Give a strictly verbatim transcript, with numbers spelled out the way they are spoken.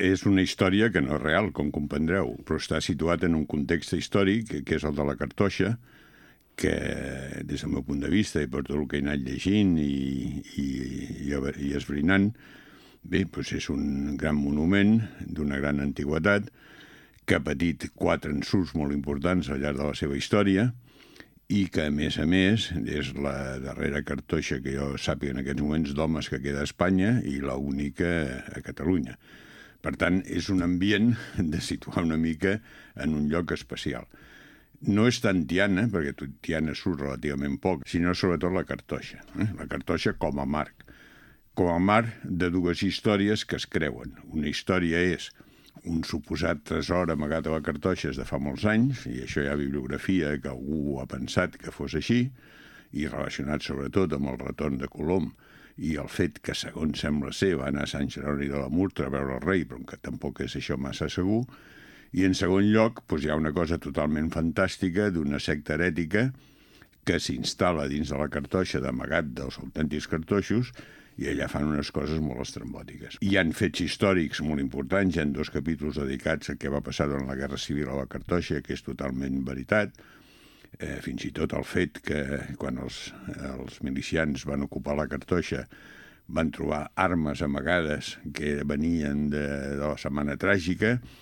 és una història que no és real, com comprendreu, però està situat en un context històric, que és el de la Cartoixa, que des del meu punt de vista i per tot el que he anat llegint i, i, i, i esbrinant, bé, doncs és un gran monument d'una gran antiguitat que ha patit quatre ensurts molt importants al llarg de la seva història i que, a més a més, és la darrera cartoixa que jo sàpiga en aquests moments d'homes que queda a Espanya i l'única a Catalunya. Per tant, és un ambient de situar una mica en un lloc especial. No és tant Tiana, perquè Tiana surt relativament poc, sinó sobretot la Cartoixa. Eh? La Cartoixa com a marc. Com a marc de dues històries que es creuen. Una història és un suposat tresor amagat a la Cartoixa de fa molts anys, i això hi ha bibliografia que algú ha pensat que fos així, i relacionat sobretot amb el retorn de Colom i el fet que, segons sembla ser, va anar a Sant Jeroni de la Murtra a veure el rei, però que tampoc és això massa segur. I en segon lloc, doncs hi ha una cosa totalment fantàstica d'una secta herètica que s'instal·la dins de la Cartoixa d'amagat dels autèntics cartoixos i allà fan unes coses molt estrambòtiques. Hi han fets històrics molt importants, hi ha dos capítols dedicats a què va passar durant la Guerra Civil a la Cartoixa, que és totalment veritat. Eh, fins i tot el fet que quan els, els milicians van ocupar la Cartoixa van trobar armes amagades que venien de, de la Setmana Tràgica